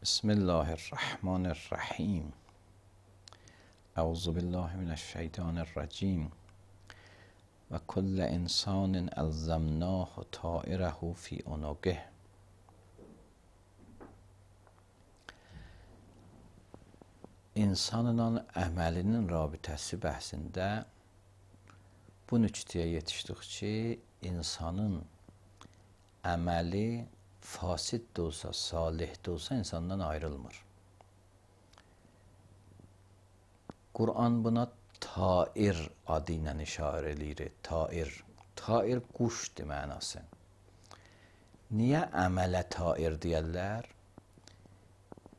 بسم الله الرحمن الرحیم. اعوذ بالله من الشیطان الرجیم. و کل انسان الزمناه طائره فی عنقه. İnsanın əməlinin rabitəsi bəhsində bu nüqtəyə yetişdik ki, insanın əməli fasid də olsa, salih də olsa insandan ayrılmır. Quran buna tair adı ilə işarə edir. Tair quşdur mənası. Niyə əmələ tair deyərlər?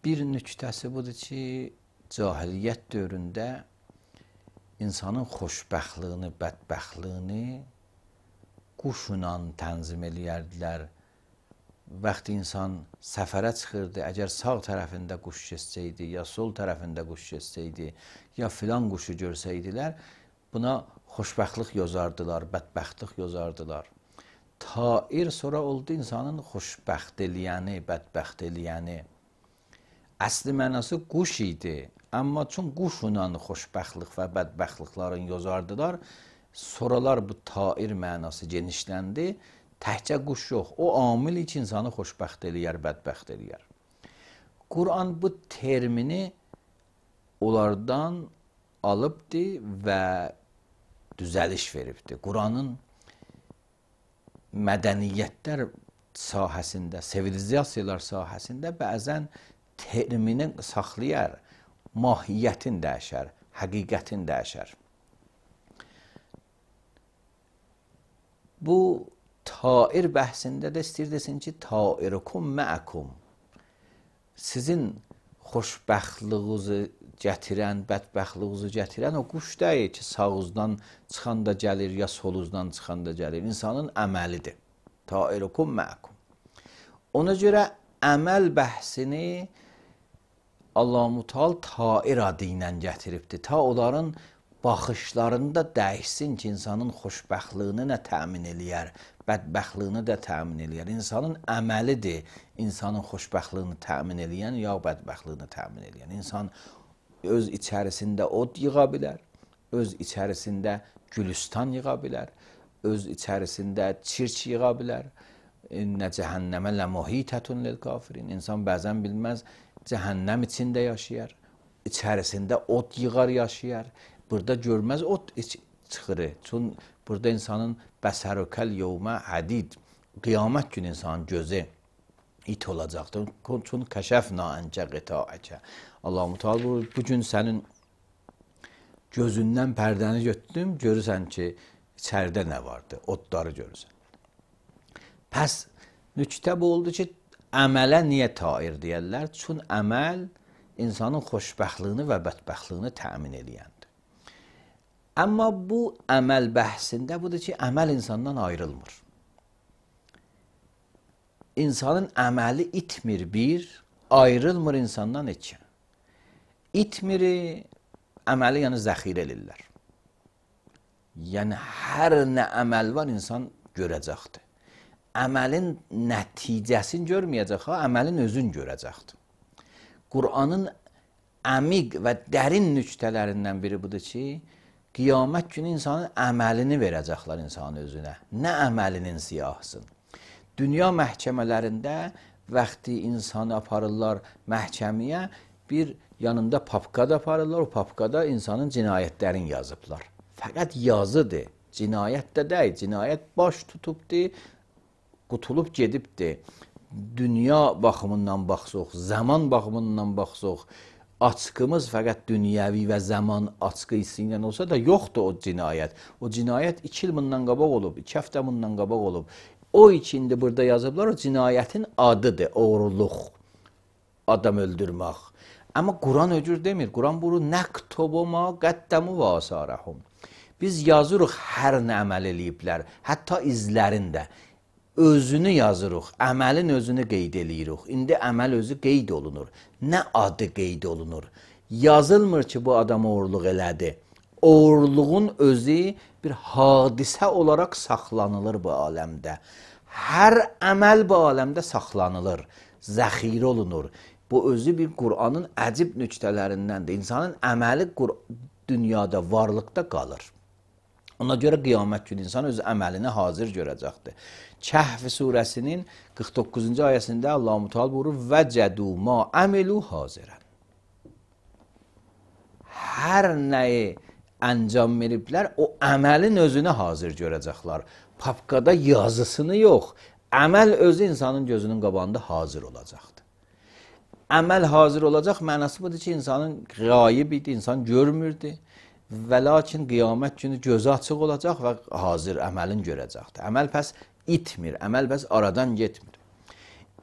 Bir nüqtəsi budur ki, cahiliyyət dövründə insanın xoşbəxtliyini, bədbəxtliyini quşla tənzim eləyərdilər. Vaxtı insan səfərə çıxırdı, əgər sağ tərəfində quş keçsəydi, ya sol tərəfində quş keçsəydi, ya filan quşu görsəydilər, buna xoşbəxtlik yozardılar, bədbəxtlik yozardılar. Tair sonra oldu insanın xoşbəxt eləyəni, bədbəxt eləyəni. Əsli mənası quş idi, amma çün quşla xoşbəxtlik və bədbəxtliklərini yozardılar, sonralar bu tair mənası genişləndi. Təhcə quş yox, o amil ki, insanı xoşbəxt eləyər, bədbəxt eləyər. Quran bu termini onlardan alıbdı və düzəliş veribdi. Quranın mədəniyyətlər sahəsində, sivilizasiyalar sahəsində bəzən termini saxlayar, mahiyyətin dəyişər, həqiqətin dəyişər. Bu tair bəhsində də istəyir desin ki, tairukum məəkum. Sizin xoşbəxtliyinizi gətirən, bədbəxtliyinizi gətirən o quş deyil ki, sağınızdan çıxan da gəlir, ya solunuzdan çıxan da gəlir. İnsanın əməlidir. Tairukum məəkum. Ona görə əməl bəhsini Allah-u Teala tair adı ilə gətiribdir. Ta onların baxışlarında dəyişsin ki, insanın xoşbəxtliyini nə təmin eləyər, bədbəxtliyini də təmin eləyər. İnsanın əməlidir insanın xoşbəxtliyini təmin eləyən, ya bədbəxtliyini təmin eləyən. İnsan öz içərisində od yığa bilər, öz içərisində gülüstan yığa bilər, öz içərisində çirk yığa bilər. İnnə cəhənnəmə ləmuhitətun lil-kafirin. İnsan bəzən bilməz, cəhənnəm içində yaşayar, içərisində od yığar yaşayar. Burada görməz od çıxırı. Çün burada insanın bəsərükəl yevmə hadid. Qiyamət günü insanın gözü it olacaqdır. Çün kəşəfna əncə qitaəkə. Allah-u Teala bu gün sənin gözündən pərdəni götürdüm, görürsən ki, içəridə nə vardı? Odları görürsən. Pəs nüqtə bu oldu ki, əmələ niyə tair deyərlər? Çün əməl insanın xoşbəxtliyini və bədbəxtliyini təmin eləyəndir. Amma bu əməl bəhsində budur ki, əməl insandan ayrılmır. İnsanın əməli itmir bir, ayrılmır insandan iki. İtmiri, əməli yəni zəxirə elirlər. Yəni, hər nə əməl var insan görəcəkdir. Əməlin nəticəsini görməyəcək, əməlin özünü görəcəkdir. Quranın əmiq və dərin nüqtələrindən biri budur ki, qiyamət günü insanın əməlini verəcəklər insanın özünə. Nə əməlinin siyahısın. Dünya məhkəmələrində vaxtı insanı aparırlar məhkəməyə, bir yanında papka da aparırlar, o papkada insanın cinayətlərini yazıblar. Fəqət yazıdır, cinayət də deyil, cinayət baş tutubdur, qutulub gedibdir. Dünya baxımından baxsaq, zaman baxımından baxsaq, açqımız fəqət dünyəvi və zaman açqı hissi ilə olsa da yoxdur o cinayət. O cinayət 2 il bundan qabaq olub, 2 həftə bundan qabaq olub. O ikindi burada yazıblar, o cinayətin adıdır, oğurluq, adam öldürmək. Amma Quran öcür demir. Quran bunu nəktubu ma qəddəmu və asarəhum. Biz yazırıq hər nə əməl eləyiblər, hətta izlərində. Özünü yazırıq, əməlin özünü qeyd eləyirik. İndi əməl özü qeyd olunur. Nə adı qeyd olunur? Yazılmır ki, bu adam oğurluq elədi. Oğurluğun özü bir hadisə olaraq saxlanılır bu aləmdə. Hər əməl bu aləmdə saxlanılır, zəxirə olunur. Bu özü bir Qur'anın əcib nöqtələrindəndir. İnsanın əməli dünyada, varlıqda qalır. Ona görə qiyamət günü insan öz əməlini hazır görəcəkdir. Kəhf surəsinin 49-cu ayəsində Allah-u Teala buyurur: "Vəcədu ma amilu hazirən." Hər nəyi əncam veriblər, o əməlin özünü hazır görəcəklər. Papkada yazısını yox, əməl özü insanın gözünün qabağında hazır olacaqdır. Əməl hazır olacaq mənası budur ki, insanın qayib idi, insan görmürdü və lakin qiyamət günü gözü açıq olacaq və hazır əməlin görəcəkdir. Əməl pəs itmir, əməl pəs aradan getmir.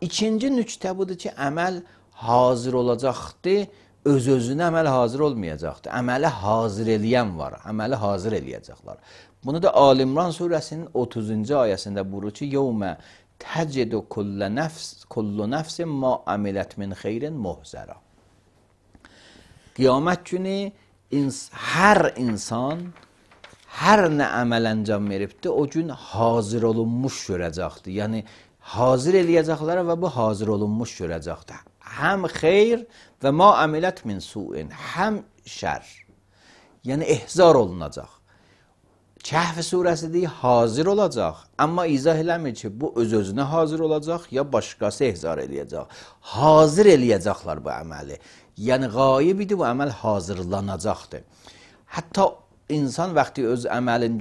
İkinci nöqtə budur ki, əməl hazır olacaqdır, öz-özünə əməl hazır olmayacaqdır. Əməli hazır eləyən var, əməli hazır eləyəcəklər. Bunu da Ali-İmran surəsinin 30-cu ayəsində buyurur ki, "Yevmə tecidu kullu nefsin ma amilət min xeyrin muhzara." Qiyamət günü hər insan hər nə əməl əncam veribdir, o gün hazır olunmuş görəcəkdir. Yəni hazır eləyəcəklər və bu hazır olunmuş görəcəkdir. Həm xeyr və ma amilət min su'in, həm şər. Yəni ehzar olunacaq. Kəhf surəsi deyir, hazır olacaq. Amma izah eləmir ki, bu öz-özünə hazır olacaq, ya başqası ehzar eləyəcək. Hazır eləyəcəklər bu əməli. Yəni qayib idi, bu əməl hazırlanacaqdır. Hətta insan vaxtı öz əməlini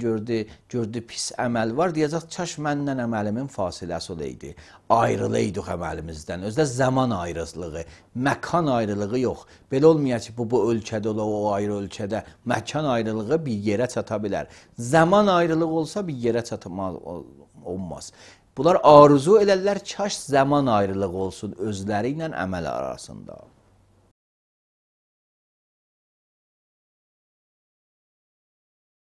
gördü pis əməl var, deyəcək, kaş məndən əməlimin fasiləsi olaydı. Ayrılaydıq əməlimizdən. Özdə zaman ayrılığı, məkan ayrılığı yox. Belə olmayacaq ki, bu ölkədə ola, o ayrı ölkədə. Məkan ayrılığı bir yerə çata bilər. Zaman ayrılığı olsa bir yerə olmaz. Bunlar arzu elərlər, kaş zaman ayrılığı olsun özləri ilə əməl arasında.